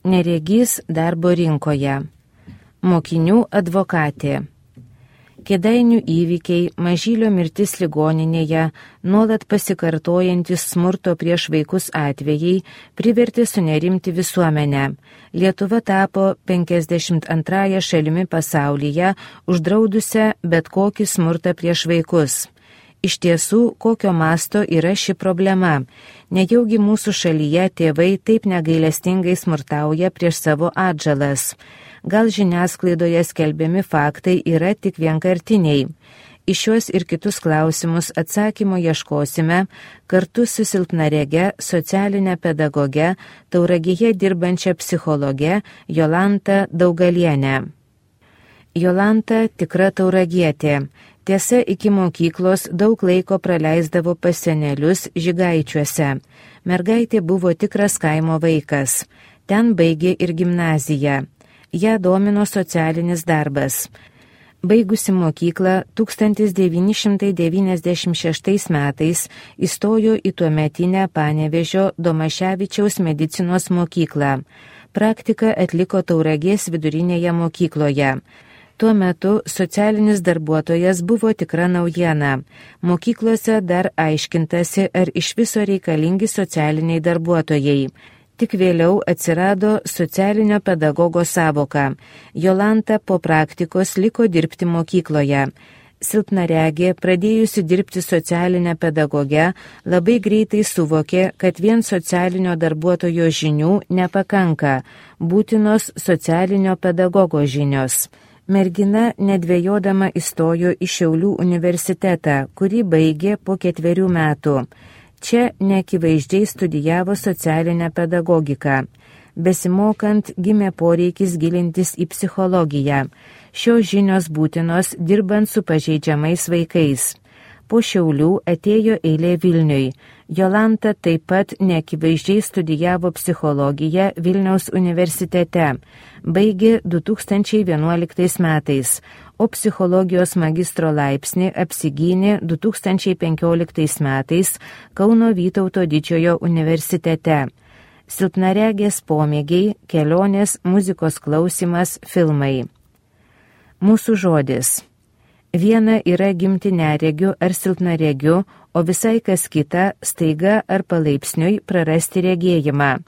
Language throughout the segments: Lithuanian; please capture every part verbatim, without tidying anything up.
Neregys darbo rinkoje. Mokinių advokatė. Kėdainių įvykiai, Mažylio mirtis ligoninėje, nuolat pasikartojantis smurto prieš vaikus atvejai privertė sunerimti visuomenę. Lietuva tapo penkiasdešimt antrąją šalimi pasaulyje, uždraudusią bet kokį smurtą prieš vaikus. Iš tiesų, kokio masto yra ši problema. Nejaugi mūsų šalyje tėvai taip negailestingai smurtauja prieš savo atžalas. Gal žiniasklaidoje skelbiami faktai yra tik vienkartiniai. Į šiuos ir kitus klausimus atsakymo ieškosime kartu su silpnarege, socialinė pedagogė, Tauragėje dirbančia psichologė Jolanta Daugalienė. Jolanta tikra tauragietė. Tiesa, iki mokyklos daug laiko praleisdavo pas senelius Žygaičiuose. Mergaitė buvo tikras kaimo vaikas. Ten baigė ir gimnaziją. Ją domino socialinis darbas. Baigusi mokyklą tūkstantis devyni šimtai devyniasdešimt šeštais metais įstojo į tuometinę Panevėžio Domaševičiaus medicinos mokyklą. Praktiką atliko Tauragės vidurinėje mokykloje. Tuo metu socialinis darbuotojas buvo tikra naujiena. Mokyklose dar aiškintasi, ar iš viso reikalingi socialiniai darbuotojai. Tik vėliau atsirado socialinio pedagogo sąvoka. Jolanta po praktikos liko dirbti mokykloje. Silpnaregė, pradėjusi dirbti socialinę pedagogę, labai greitai suvokė, kad vien socialinio darbuotojo žinių nepakanka, būtinos socialinio pedagogo žinios. Mergina nedvejodama įstojo į Šiaulių universitetą, kurį baigė po ketverių metų. Čia neakivaizdžiai studijavo socialinę pedagogiką. Besimokant gimė poreikis gilintis į psichologiją. Šios žinios būtinos dirbant su pažeidžiamais vaikais. Po Šiaulių atėjo eilė Vilniui. Jolanta taip pat neakivaizdžiai studijavo psichologiją Vilniaus universitete. Baigė du tūkstančiai vienuoliktais metais, o psichologijos magistro laipsnį apsigynė du tūkstančiai penkioliktais metais Kauno Vytauto Didžiojo universitete. Silpnaregės pomėgiai, kelionės, muzikos klausimas, filmai. Mūsų žodis. Viena yra gimti neregiu ar silpnaregiu, o visai kas kita staiga ar palaipsniui prarasti regėjimą.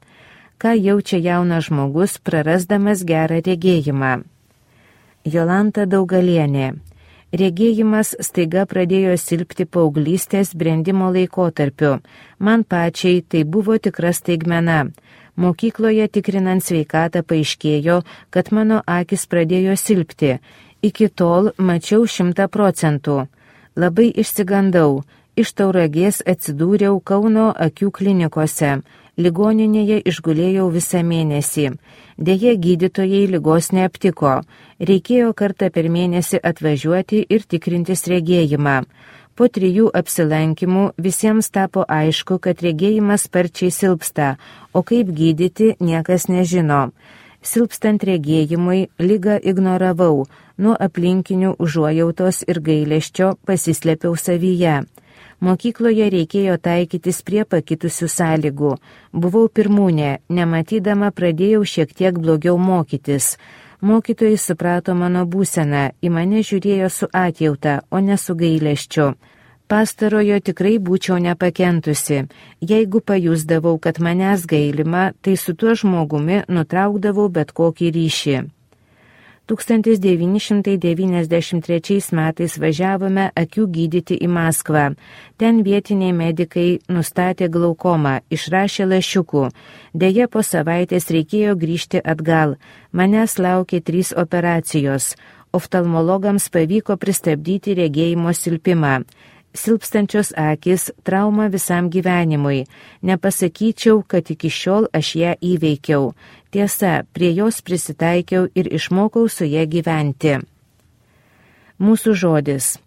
Ką jaučia jaunas žmogus prarasdamas gerą regėjimą? Jolanta Daugalienė. Regėjimas staiga pradėjo silpti paauglystės brendimo laikotarpiu. Man pačiai tai buvo tikra staigmena. Mokykloje tikrinant sveikatą paaiškėjo, kad mano akis pradėjo silpti. Iki tol mačiau šimtą procentų. Labai išsigandau. Iš Tauragės atsidūriau Kauno akių klinikose. Ligoninėje išgulėjau visą mėnesį. Deja, gydytojai ligos neaptiko. Reikėjo kartą per mėnesį atvažiuoti ir tikrintis regėjimą. Po trijų apsilankimų visiems tapo aišku, kad regėjimas sparčiai silpsta, o kaip gydyti niekas nežino. Silpstant regėjimui ligą ignoravau, nuo aplinkinių užuojautos ir gailesčio pasislėpiau savyje. Mokykloje reikėjo taikytis prie pakitusių sąlygų. Buvau pirmūnė, nematydama pradėjau šiek tiek blogiau mokytis. Mokytojai suprato mano būseną, į mane žiūrėjo su atjauta, o ne su gailesčiu. Pastarojo tikrai būčiau nepakentusi. Jeigu pajusdavau, kad manęs gailima, tai su tuo žmogumi nutraukdavau bet kokį ryšį. tūkstantis devyni šimtai devyniasdešimt trečiais metais važiavome akių gydyti į Maskvą. Ten vietiniai medikai nustatė glaukomą, išrašė lašiukų. Deja, po savaitės reikėjo grįžti atgal. Manęs laukė trys operacijos. Oftalmologams pavyko pristabdyti regėjimo silpimą. Silpstančios akis trauma visam gyvenimui. Nepasakyčiau, kad iki šiol aš ją įveikiau. Tiesa, prie jos prisitaikiau ir išmokau su ją gyventi. Mūsų žodis.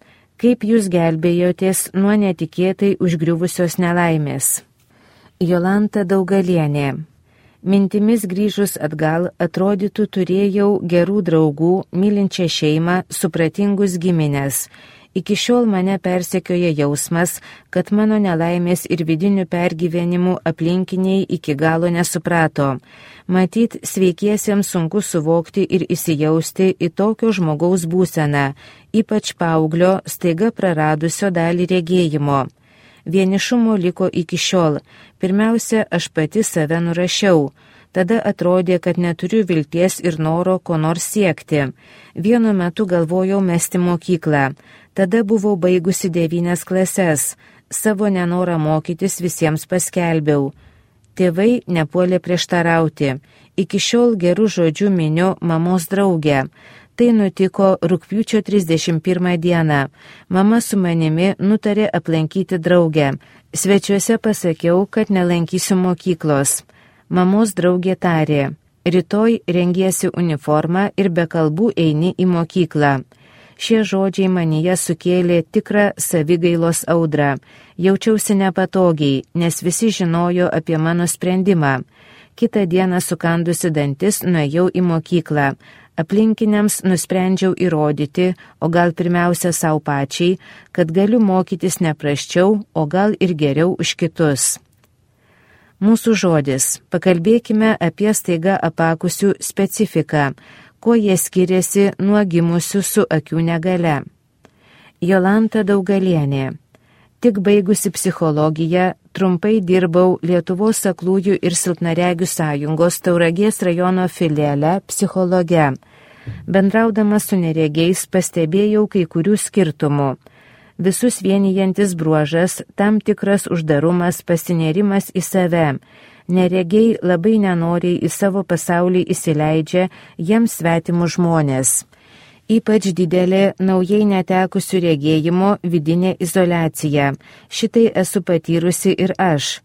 Kaip jūs gelbėjotės nuo netikėtai užgriuvusios nelaimės? Jolanta Daugalienė. Mintimis grįžus atgal, atrodytų turėjau gerų draugų, mylinčią šeimą, supratingus giminės. Iki šiol mane persekioja jausmas, kad mano nelaimės ir vidinių pergyvenimų aplinkiniai iki galo nesuprato. Matyt, sveikiesiems sunku suvokti ir įsijausti į tokio žmogaus būseną, ypač paauglio staiga praradusio dalį regėjimo. Vienišumo liko iki šiol. Pirmiausia, aš pati save nurašiau. Tada atrodė, kad neturiu vilties ir noro ko nors siekti. Vienu metu galvojau mesti mokyklą. Tada buvau baigusi devynias klases. Savo nenorą mokytis visiems paskelbiau. Tėvai nepuolė prieštarauti. Iki šiol gerų žodžių miniu mamos draugę. Tai nutiko rugpjūčio trisdešimt pirmą dieną. Mama su manimi nutarė aplankyti draugę. Svečiuose pasakiau, kad nelankysiu mokyklos. Mamos draugė tarė, rytoj rengiesi uniformą ir be kalbų eini į mokyklą. Šie žodžiai manyje sukėlė tikrą savigailos audrą. Jaučiausi nepatogiai, nes visi žinojo apie mano sprendimą. Kitą dieną sukandusi dantis nuėjau į mokyklą. Aplinkiniams nusprendžiau įrodyti, o gal pirmiausia savo pačiai, kad galiu mokytis neprasčiau, o gal ir geriau už kitus. Mūsų žodis. Pakalbėkime apie staiga apakusių specifiką, kuo jie skiriasi nuo gimusių su akių negale. Jolanta Daugalienė. Tik baigusi psichologiją, trumpai dirbau Lietuvos aklųjų ir silpnaregių sąjungos Tauragės rajono filiale psichologe. Bendraudama su neregiais pastebėjau kai kurių skirtumų. Visus vienijantis bruožas, tam tikras uždarumas, pasinėrimas į save. Neregiai labai nenoriai į savo pasaulį įsileidžia jiems svetimų žmonės. Ypač didelė naujai netekusių regėjimo vidinė izoliacija. Šitai esu patyrusi ir aš.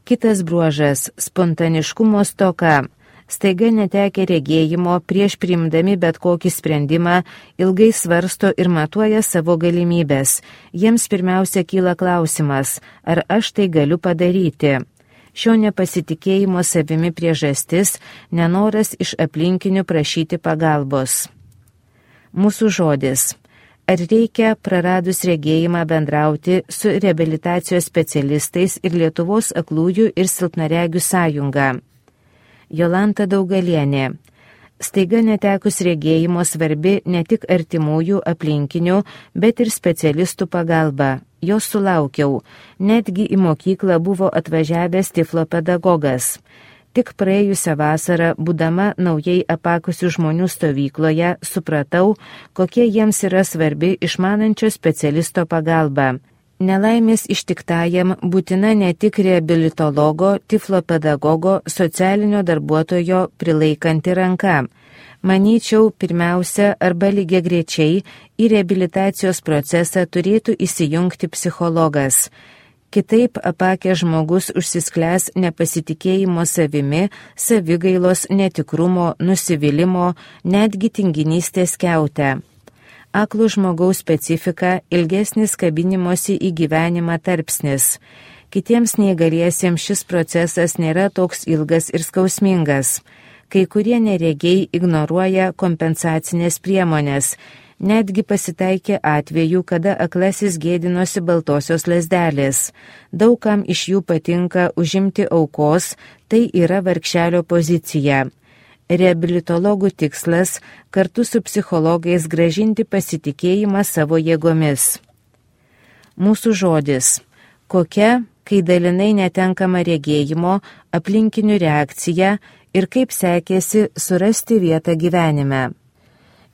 Kitas bruožas – spontaniškumo stoka. Staiga netekę regėjimo prieš priimdami bet kokį sprendimą ilgai svarsto ir matuoja savo galimybės. Jiems pirmiausia kyla klausimas, ar aš tai galiu padaryti. Šio nepasitikėjimo savimi priežastis – nenoras iš aplinkinių prašyti pagalbos. Mūsų žodis. Ar reikia praradus regėjimą bendrauti su reabilitacijos specialistais ir Lietuvos aklųjų ir silpnaregių sąjunga? Jolanta Daugalienė. Staiga netekus regėjimo svarbi ne tik artimųjų aplinkinių, bet ir specialistų pagalba. Jos sulaukiau. Netgi į mokyklą buvo atvažiavęs tiflo pedagogas. Tik praėjusią vasarą, būdama naujai apakusių žmonių stovykloje, supratau, kokie jiems yra svarbi išmanančio specialisto pagalba. Nelaimės ištiktajam būtina ne tik reabilitologo, tiflo pedagogo, socialinio darbuotojo prilaikanti ranka. Manyčiau, pirmiausia arba lygiagrečiai į reabilitacijos procesą turėtų įsijungti psichologas. Kitaip apakęs žmogus užsisklęs nepasitikėjimo savimi, savigailos, netikrumo, nusivylimo, netgi tinginystės kiautę. Aklo žmogaus specifika – ilgesnis kabinimosi į gyvenimą tarpsnis. Kitiems neįgaliesiems šis procesas nėra toks ilgas ir skausmingas. Kai kurie neregiai ignoruoja kompensacinės priemonės. Netgi pasitaikė atvejų, kada aklasis gėdinosi baltosios lazdelės. Daugam iš jų patinka užimti aukos, tai yra vargšelio pozicija. Reabilitologų tikslas – kartu su psichologais grąžinti pasitikėjimą savo jėgomis. Mūsų žodis. Kokia, kai dalinai netenkama regėjimo, aplinkinių reakcija ir kaip sekėsi surasti vietą gyvenime.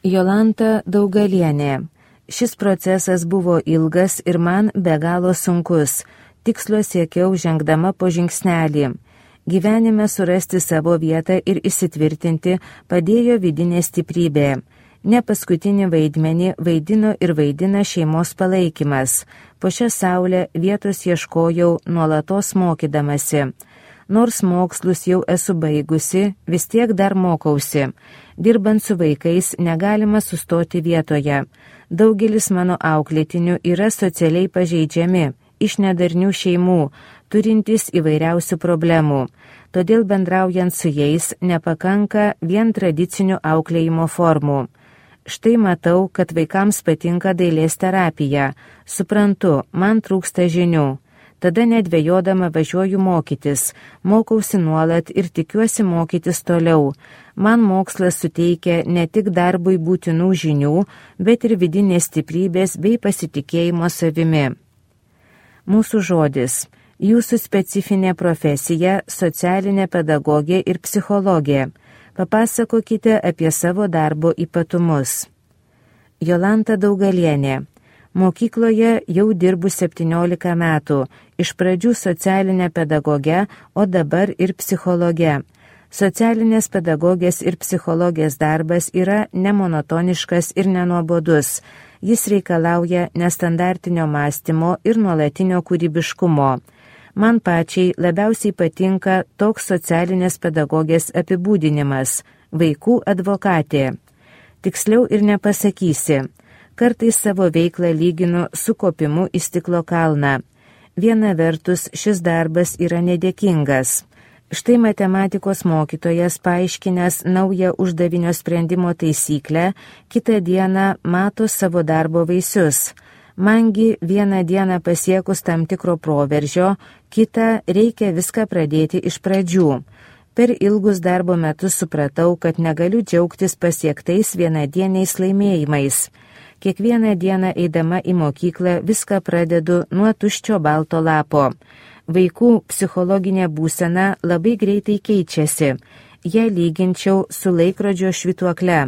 Jolanta Daugalienė. Šis procesas buvo ilgas ir man be galo sunkus. Tikslo siekiau žengdama po žingsnelį. Gyvenime surasti savo vietą ir įsitvirtinti padėjo vidinė stiprybė. Ne paskutinį vaidmenį vaidino ir vaidina šeimos palaikymas. Po šią saulę vietos ieškojau nuolatos mokydamasi. Nors mokslus jau esu baigusi, vis tiek dar mokausi. Dirbant su vaikais negalima sustoti vietoje. Daugelis mano auklėtinių yra socialiai pažeidžiami, iš nedarnių šeimų, turintys įvairiausių problemų. Todėl bendraujant su jais nepakanka vien tradicinių auklėjimo formų. Štai matau, kad vaikams patinka dailės terapija. Suprantu, man trūksta žinių. Tada nedvejodama važiuoju mokytis, mokausi nuolat ir tikiuosi mokytis toliau. Man mokslas suteikia ne tik darbui būtinų žinių, bet ir vidinės stiprybės bei pasitikėjimo savimi. Mūsų žodis. Jūsų specifinė profesija – socialinė pedagogė ir psichologė. Papasakokite apie savo darbo ypatumus. Jolanta Daugalienė. Mokykloje jau dirbu septyniolika metų, iš pradžių socialinė pedagogė, o dabar ir psichologė. Socialinės pedagogės ir psichologės darbas yra nemonotoniškas ir nenuobodus. Jis reikalauja nestandartinio mąstymo ir nuolatinio kūrybiškumo. Man pačiai labiausiai patinka toks socialinės pedagogės apibūdinimas – vaikų advokatė. Tiksliau ir nepasakysi. Kartais savo veiklą lyginu su kopimu į stiklo kalną. Viena vertus šis darbas yra nedėkingas. Štai matematikos mokytojas paaiškinęs naują uždavinio sprendimo taisyklę, kitą dieną mato savo darbo vaisius. Mangi vieną dieną pasiekus tam tikro proveržio, kitą reikia viską pradėti iš pradžių. Per ilgus darbo metus supratau, kad negaliu džiaugtis pasiektais vienadieniais laimėjimais. Kiekvieną dieną eidama į mokyklą viską pradedu nuo tuščio balto lapo. Vaikų psichologinė būsena labai greitai keičiasi. Ją lyginčiau su laikrodžio švytuokle.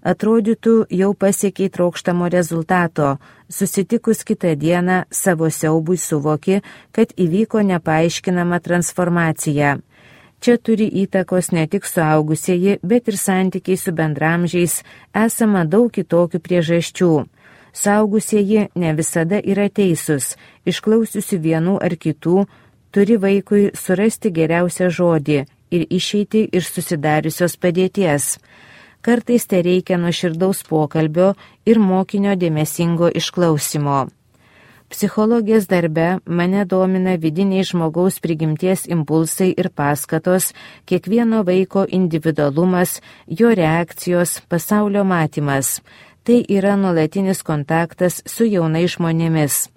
Atrodytų, jau pasiekiai trokštamo rezultato. Susitikus kitą dieną savo siaubui suvoki, kad įvyko nepaaiškinama transformacija. Čia turi įtakos ne tik suaugusieji, bet ir santykiai su bendramžiais, esama daug kitokių priežasčių. Suaugusieji ne visada yra teisūs, išklausiusi vienų ar kitų, turi vaikui surasti geriausią žodį ir išeiti iš susidariusios padėties. Kartais tai reikia nuoširdaus pokalbio ir mokinio dėmesingo išklausimo. Psichologijos darbe mane domina vidiniai žmogaus prigimties impulsai ir paskatos, kiekvieno vaiko individualumas, jo reakcijos, pasaulio matymas. Tai yra nuolatinis kontaktas su jaunais žmonėmis.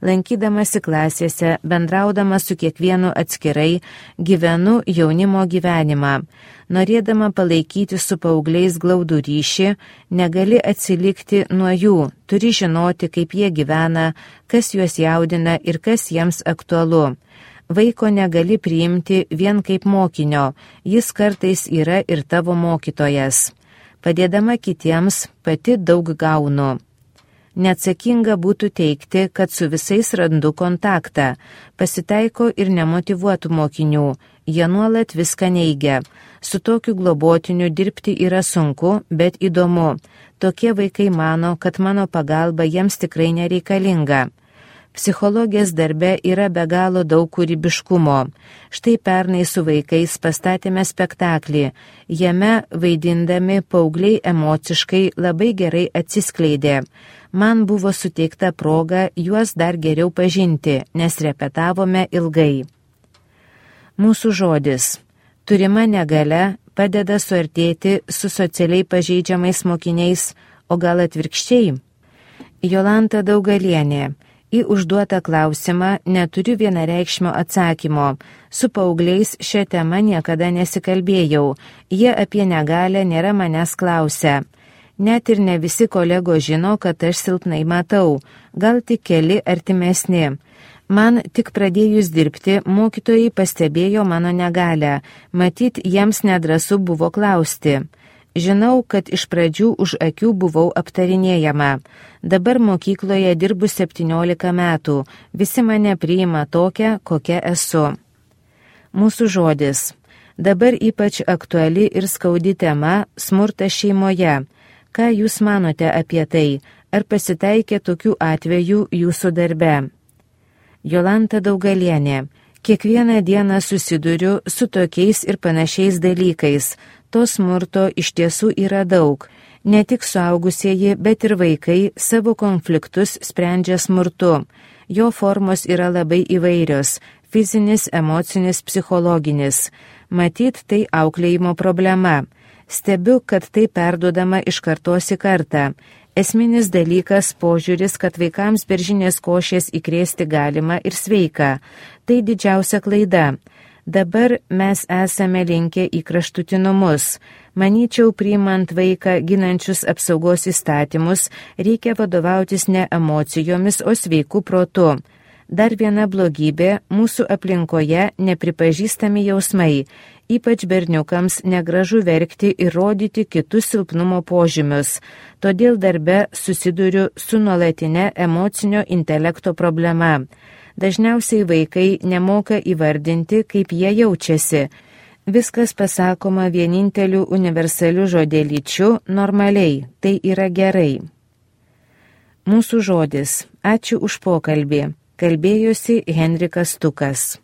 Lankydamasi klasėse, bendraudama su kiekvienu atskirai, gyvenu jaunimo gyvenimą. Norėdama palaikyti su paaugliais glaudų ryšį, negali atsilikti nuo jų, turi žinoti, kaip jie gyvena, kas juos jaudina ir kas jiems aktualu. Vaiko negali priimti vien kaip mokinio, jis kartais yra ir tavo mokytojas. Padėdama kitiems, pati daug gaunu. Neatsakinga būtų teigti, kad su visais randu kontaktą. Pasitaiko ir nemotyvuotų mokinių, jie nuolat viską neigia. Su tokiu globotiniu dirbti yra sunku, bet įdomu. Tokie vaikai mano, kad mano pagalba jiems tikrai nereikalinga. Psichologijos darbe yra be galo daug kūrybiškumo. Štai pernai su vaikais pastatėme spektaklį. Jame vaidindami paaugliai emociškai labai gerai atsiskleidė. Man buvo suteikta proga juos dar geriau pažinti, nes repetavome ilgai. Mūsų žodis. Turima negalia padeda suartėti su socialiai pažeidžiamais mokiniais, o gal atvirkščiai? Jolanta Daugalienė. Į užduotą klausimą neturiu vienareikšmio atsakymo. Su paaugliais šią temą niekada nesikalbėjau. Jie apie negalią nėra manęs klausę. Net ir ne visi kolegos žino, kad aš silpnai matau. Gal tik keli artimesni. Man tik pradėjus dirbti, mokytojai pastebėjo mano negalią. Matyt, jiems nedrąsu buvo klausti. Žinau, kad iš pradžių už akių buvau aptarinėjama. Dabar mokykloje dirbu septyniolika metų. Visi mane priima tokią, kokia esu. Mūsų žodis. Dabar ypač aktuali ir skaudi tema – smurtas šeimoje. Ką jūs manote apie tai? Ar pasitaikė tokių atvejų jūsų darbe? Jolanta Daugalienė. Kiekvieną dieną susiduriu su tokiais ir panašiais dalykais. To smurto iš tiesų yra daug. Ne tik suaugusieji, bet ir vaikai savo konfliktus sprendžia smurtu. Jo formos yra labai įvairios – fizinis, emocinis, psichologinis. Matyt, tai auklėjimo problema. Stebiu, kad tai perduodama iš kartos į kartą. Esminis dalykas požiūris, kad vaikams beržinės košės įkrėsti galima ir sveika. Tai didžiausia klaida. Dabar mes esame linkę į kraštutinumus. Manyčiau, priimant vaiką ginančius apsaugos įstatymus, reikia vadovautis ne emocijomis, o sveiku protu. Dar viena blogybė – mūsų aplinkoje nepripažįstami jausmai. Ypač berniukams negražu verkti ir rodyti kitus silpnumo požymius. Todėl darbe susiduriu su nuolatinė emocinio intelekto problema. Dažniausiai vaikai nemoka įvardinti, kaip jie jaučiasi. Viskas pasakoma vieninteliu universaliu žodelyčiu normaliai. Tai yra gerai. Mūsų žodis. Ačiū už pokalbį. Kalbėjosi Henrikas Stukas.